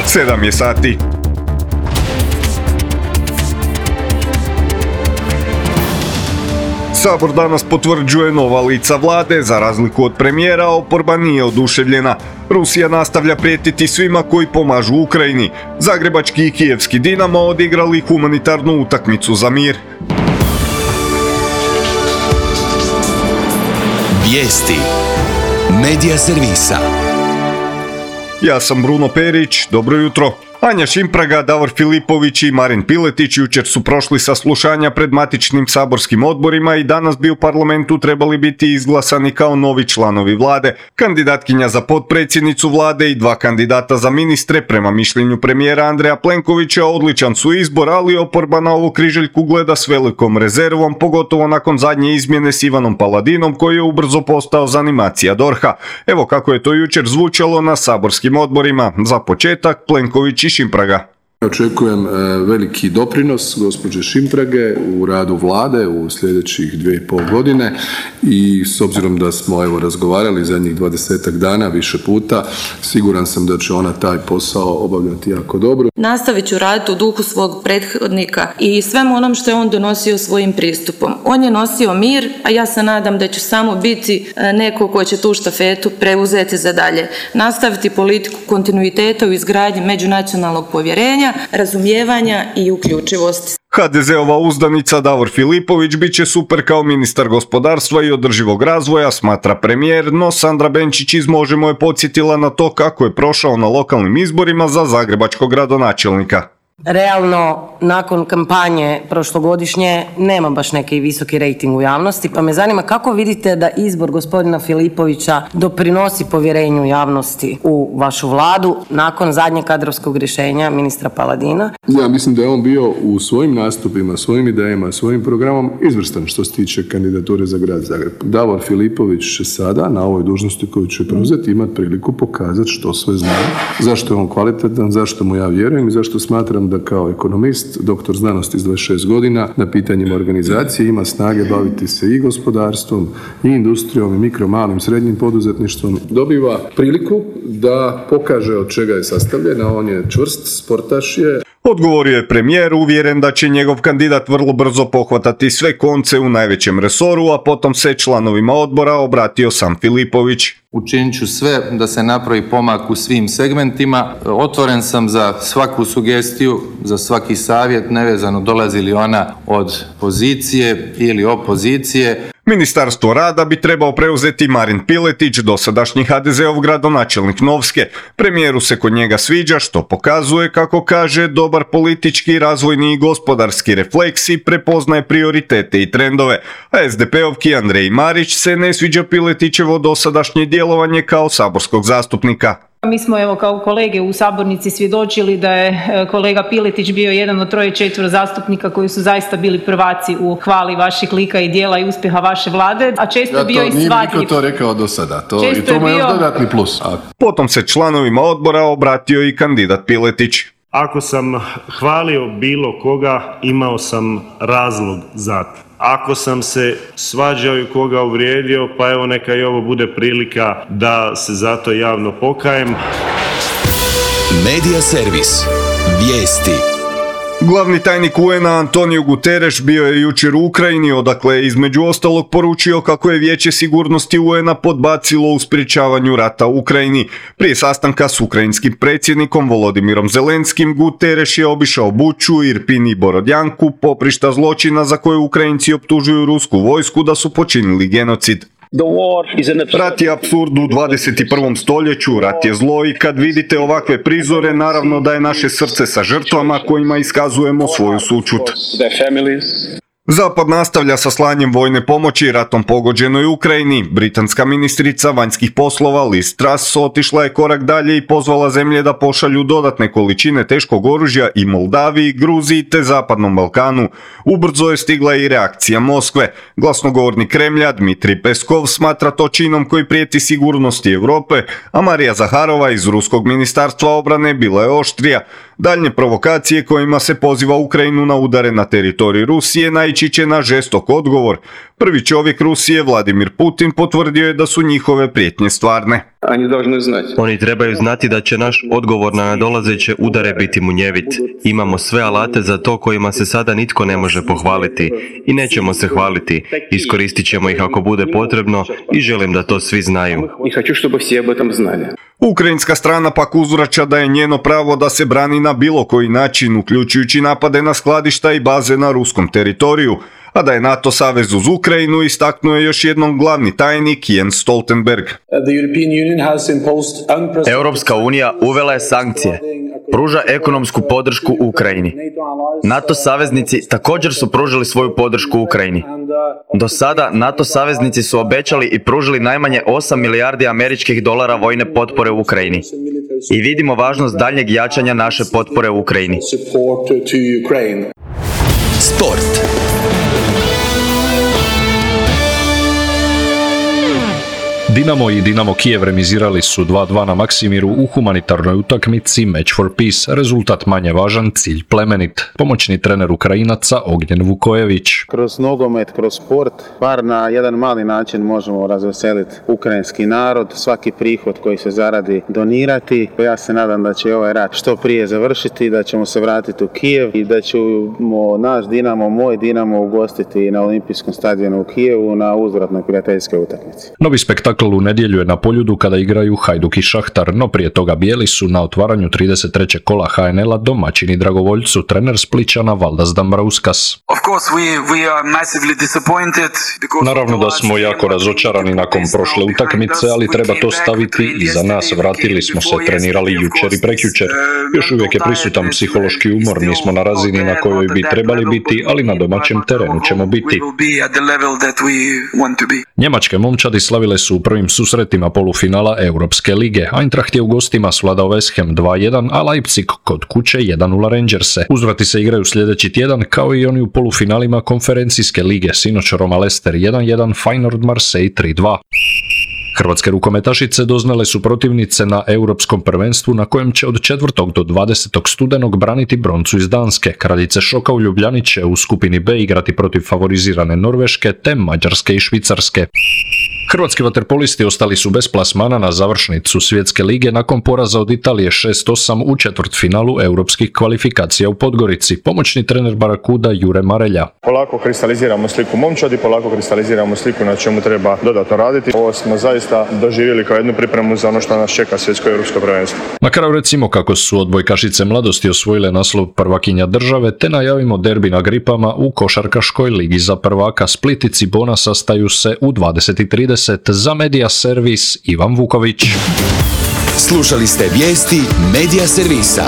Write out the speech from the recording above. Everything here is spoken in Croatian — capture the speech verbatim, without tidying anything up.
sedam je sati. Sabor danas potvrđuje nova lica vlade, za razliku od premijera, oporba nije oduševljena. Rusija nastavlja prijetiti svima koji pomažu Ukrajini. Zagrebački i kijevski Dinamo odigrali humanitarnu utakmicu za mir. Vijesti Medija servisa. Ja sam Bruno Perić, dobro jutro. Anja Šimpraga, Davor Filipović i Marin Piletić jučer su prošli saslušanja pred matičnim saborskim odborima i danas bi u parlamentu trebali biti izglasani kao novi članovi vlade. Kandidatkinja za potpredsjednicu vlade i dva kandidata za ministre, prema mišljenju premijera Andreja Plenkovića, odličan su izbor, ali oporba na ovu križaljku gleda s velikom rezervom, pogotovo nakon zadnje izmjene s Ivanom Paladinom, koji je ubrzo postao zanimacija dorha. Evo kako je to jučer zvučalo na saborskim odborima. Za početak, Plenković i Šimpraga. Očekujem veliki doprinos gospođe Šimprage u radu vlade u sljedećih dvije i pol godine i s obzirom da smo evo razgovarali zadnjih dvadesetak dana više puta, siguran sam da će ona taj posao obavljati jako dobro. Nastavit ću raditi u duhu svog prethodnika i svemu onom što je on donosio svojim pristupom. On je nosio mir, a ja se nadam da će samo biti neko ko će tu štafetu preuzeti za dalje. Nastaviti politiku kontinuiteta u izgradnji međunacionalnog povjerenja, razumijevanja i uključivosti. ha de zeova uzdanica Davor Filipović bit će super kao ministar gospodarstva i održivog razvoja, smatra premijer, no Sandra Benčić iz Možemo je podsjetila na to kako je prošao na lokalnim izborima za zagrebačkog gradonačelnika. Realno, nakon kampanje prošlogodišnje nema baš neki visoki rejting u javnosti, pa me zanima kako vidite da izbor gospodina Filipovića doprinosi povjerenju javnosti u vašu vladu nakon zadnjeg kadrovskog rješenja ministra Paladina? Ja mislim da je on bio u svojim nastupima, svojim idejama, svojim programom izvrstan što se tiče kandidature za grad Zagreb. Davor Filipović će sada na ovoj dužnosti koju će preuzeti imati priliku pokazati što sve zna, zašto je on kvalitetan, zašto mu ja vjerujem i zašto smatram da kao ekonomist, doktor znanosti s dvadeset šest godina, na pitanjima organizacije ima snage baviti se i gospodarstvom, i industrijom, i mikro, malim, srednjim poduzetništvom. Dobiva priliku da pokaže od čega je sastavljena, on je čvrst, sportaš je. Odgovorio je premijer, uvjeren da će njegov kandidat vrlo brzo pohvatati sve konce u najvećem resoru, a potom se članovima odbora obratio sam Filipović. Učinit ću sve da se napravi pomak u svim segmentima. Otvoren sam za svaku sugestiju, za svaki savjet, nevezano dolazi li ona od pozicije ili opozicije. Ministarstvo rada bi trebao preuzeti Marin Piletić, dosadašnji ha de zeov gradonačelnik Novske. Premijeru se kod njega sviđa, što pokazuje, kako kaže, dobar politički, razvojni i gospodarski refleks i prepoznaje prioritete i trendove. A es de pe-ovki Andrej Marić se ne sviđa Piletićevo dosadašnje djelovanje kao saborskog zastupnika. Mi smo evo kao kolege u sabornici svjedočili da je kolega Piletić bio jedan od troje četvero zastupnika koji su zaista bili prvaci u hvali vaših lika i djela i uspjeha vaše vlade, a često je bio i svadljiv. Nije niko to rekao do sada, to, i to mu je dodatni plus. A... Potom se članovima odbora obratio i kandidat Piletić. Ako sam hvalio bilo koga, imao sam razlog za to. Ako sam se svađao i koga uvrijedio, pa evo neka i ovo bude prilika da se zato javno pokajem. Medija servis. Vijesti. Glavni tajnik u en a Antonio Guterres bio je jučer u Ukrajini, odakle je između ostalog poručio kako je Vijeće sigurnosti u en a podbacilo u sprječavanju rata u Ukrajini. Prije sastanka s ukrajinskim predsjednikom Volodimirom Zelenskim, Guterres je obišao Buču, Irpin i Borodjanku, poprišta zločina za koje Ukrajinci optužuju rusku vojsku da su počinili genocid. Rat je apsurd u dvadeset prvom stoljeću, rat je zlo i kad vidite ovakve prizore, naravno da je naše srce sa žrtvama kojima iskazujemo svoju sućut. Zapad nastavlja sa slanjem vojne pomoći ratom pogođenoj Ukrajini. Britanska ministrica vanjskih poslova Liz Truss otišla je korak dalje i pozvala zemlje da pošalju dodatne količine teškog oružja i Moldaviji, Gruziji te Zapadnom Balkanu. Ubrzo je stigla i reakcija Moskve. Glasnogovornik Kremlja Dmitrij Peskov smatra to činom koji prijeti sigurnosti Europe, a Marija Zaharova iz Ruskog ministarstva obrane bila je oštrija. Daljnje provokacije kojima se poziva Ukrajinu na udare na teritoriji Rusije naići će na žestok odgovor. Prvi čovjek Rusije, Vladimir Putin, potvrdio je da su njihove prijetnje stvarne. Oni trebaju znati da će naš odgovor na nadolazeće udare biti munjevit. Imamo sve alate za to kojima se sada nitko ne može pohvaliti. I nećemo se hvaliti. Iskoristit ćemo ih ako bude potrebno i želim da to svi znaju. Ukrajinska strana pak uzvraća da je njeno pravo da se brani na bilo koji način, uključujući napade na skladišta i baze na ruskom teritoriju, a da je NATO savez uz Ukrajinu istaknuo je još jednom glavni tajnik Jens Stoltenberg. Europska unija uvela je sankcije, pruža ekonomsku podršku Ukrajini. NATO saveznici također su pružili svoju podršku Ukrajini. Do sada NATO saveznici su obećali i pružili najmanje osam milijardi američkih dolara vojne potpore u Ukrajini. I vidimo važnost daljnjeg jačanja naše potpore u Ukrajini. Sport. Dinamo i Dinamo Kijev remizirali su dva dva na Maksimiru u humanitarnoj utakmici Match for Peace. Rezultat manje važan, cilj plemenit. Pomoćni trener Ukrajinaca Ognjen Vukojević. Kroz nogomet, kroz sport, bar na jedan mali način možemo razveseliti ukrajinski narod, svaki prihod koji se zaradi donirati. Ja se nadam da će ovaj rat što prije završiti, da ćemo se vratiti u Kijev i da ćemo naš Dinamo, moj Dinamo ugostiti na Olimpijskom stadionu u Kijevu na uzvratnoj prijateljskoj utakmici. Novi spektakl u nedjelju je na Poljudu kada igraju Hajduk i Šahtar, no prije toga bijeli su na otvaranju trideset trećeg kola ha en el-a domaćini Dragovoljcu, trener Splićana Valdas Dambrauskas. Naravno da smo jako razočarani nakon prošle utakmice, ali treba to staviti iza nas. Vratili smo se, trenirali jučer i prekjučer. Još uvijek je prisutan psihološki umor, nismo na razini na kojoj bi trebali biti, ali na domaćem terenu ćemo biti. Njemačke momčadi slavile su u prvim susretima polufinala Europske lige. Eintracht je u gostima svladao West Ham dva jedan, a Leipzig kod kuće jedan nula Rangerse. Uzvrati se igraju sljedeći tjedan, kao i oni u polufinalima konferencijske lige. Sinoć Roma Leicester jedan jedan, Feyenoord Marseille tri dva. Hrvatske rukometašice doznale su protivnice na Europskom prvenstvu na kojem će od četvrtog do dvadesetog studenog braniti broncu iz Danske. Kraljice šoka u Ljubljani će u skupini B igrati protiv favorizirane Norveške te Mađarske i Švicarske. Hrvatski vaterpolisti ostali su bez plasmana na završnicu Svjetske lige nakon poraza od Italije šest osam u četvrtfinalu europskih kvalifikacija u Podgorici. Pomoćni trener Barakuda Jure Marelja. Polako kristaliziramo sliku momčadi, polako kristaliziramo sliku na čemu treba dodatno raditi. Ovo smo zaista doživjeli kao jednu pripremu za ono što nas čeka svjetsko europsko prvenstvo. Na kraju recimo kako su odbojkašice mladosti osvojile naslov prvakinja države, te najavimo derbi na Gripama u košarkaškoj ligi za prvaka. Split i Cibona sastaju se u dvadeset i trideset. Za Media Servis Ivan Vuković. Slušali ste vijesti Media Servisa.